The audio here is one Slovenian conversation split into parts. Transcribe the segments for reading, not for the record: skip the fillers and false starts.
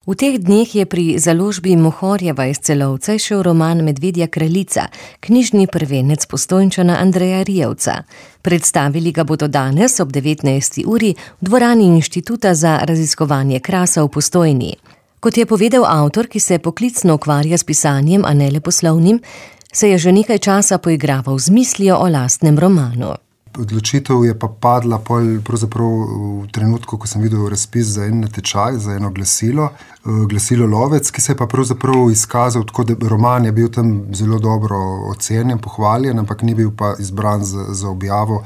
V teh dneh je pri založbi Mohorjeva iz Celovca izšel roman Medvedja kraljica, knjižni prvenec Postojnčana Andreja Rijevca. Predstavili ga bodo danes ob 19. uri v dvorani Inštituta za raziskovanje krasa v Postojni. Kot je povedal avtor, ki se poklicno ukvarja s pisanjem, a ne le poslovnim, se je že nekaj časa poigraval z mislijo o lastnem romanu. Odločitev je pa padla pravzaprav v trenutku, ko sem videl razpis za en natečaj, za eno glasilo Lovec, ki se je pa pravzaprav izkazal tako, da roman je bil tam zelo dobro ocenjen, pohvaljen, ampak ni bil pa izbran za objavo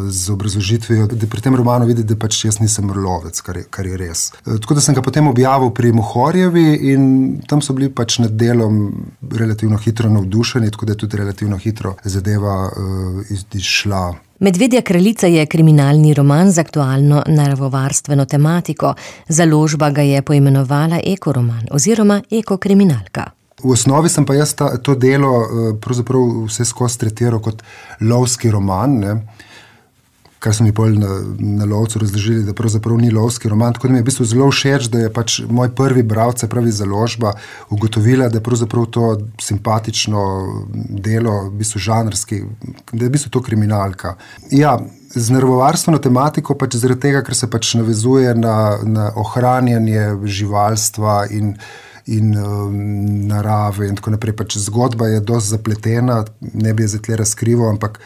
z obrazložitvijo, da pri tem romanu vidi, da pač jaz nisem lovec, kar je res. Tako da sem ga potem objavil pri Mohorjevi in tam so bili pač nad delom relativno hitro navdušeni, tako da je tudi relativno hitro zadeva izšla. Medvedja kraljica je kriminalni roman z aktualno naravovarstveno tematiko. Založba ga je poimenovala ekoroman oziroma ekokriminalka. V osnovi sem pa jaz to delo pravzaprav vse skozi tretiral kot lovski roman, ne? Kar so mi potem na Lovcu razložili, da pravzaprav ni lovski roman, tako da mi je v bistvu zelo všeč, da je pač moj prvi bralec, se pravi Založba, ugotovila, da je pravzaprav to simpatično delo, v bistvu žanrski, da je v bistvu to kriminalka. Ja, z naravovarstveno tematiko pač zaradi tega, ker se pač navezuje na ohranjanje živalstva in narave in tako naprej. Pač zgodba je dosti zapletena, ne bi je zdaj tle razkrival, ampak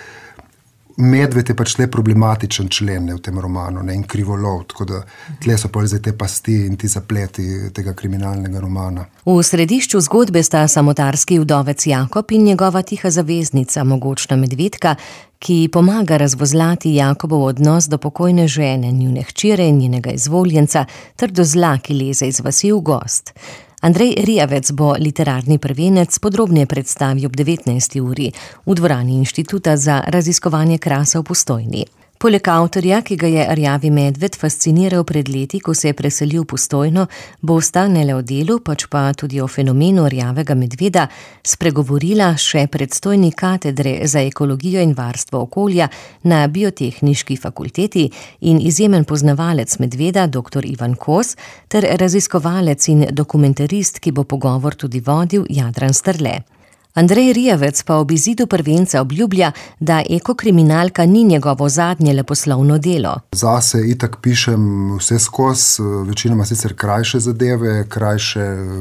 medved je pač tle problematičen člen v tem romanu, ne, in krivolov, tako da tle so pol zdaj te pasti in ti zapleti tega kriminalnega romana. V središču zgodbe sta samotarski vdovec Jakob in njegova tiha zaveznica, mogočna medvedka, ki pomaga razvozlati Jakobov odnos do pokojne žene, njune hčere in njenega izvoljenca, ter do zla, ki leze iz vasi v gozd. Andrej Rijevec bo literarni prvenec podrobneje predstavil ob 19. uri v dvorani Inštituta za raziskovanje krasa v Postojni. Poleg avtorja, ki ga je rjavi medved fasciniral pred leti, ko se je preselil v Postojno, bosta ne le o delu, pač pa tudi o fenomenu rjavega medveda spregovorila še predstojnik katedre za ekologijo in varstvo okolja na Biotehniški fakulteti in izjemen poznavalec medveda dr. Ivan Kos ter raziskovalec in dokumentarist, ki bo pogovor tudi vodil, Jadran Strle. Andrej Rijevec pa ob izidu prvenca obljublja, da ekokriminalka ni njegovo zadnje leposlovno delo. Zase itak pišem vse skozi, večinoma sicer krajše zadeve,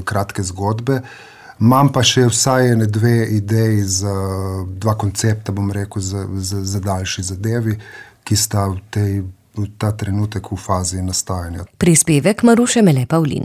kratke zgodbe. Imam pa še vsaj dve ideji za dva koncepta, bom rekel, za daljši zadevi, ki sta v ta trenutek v fazi nastajanja. Prispevek Maruše Mele Pavlin.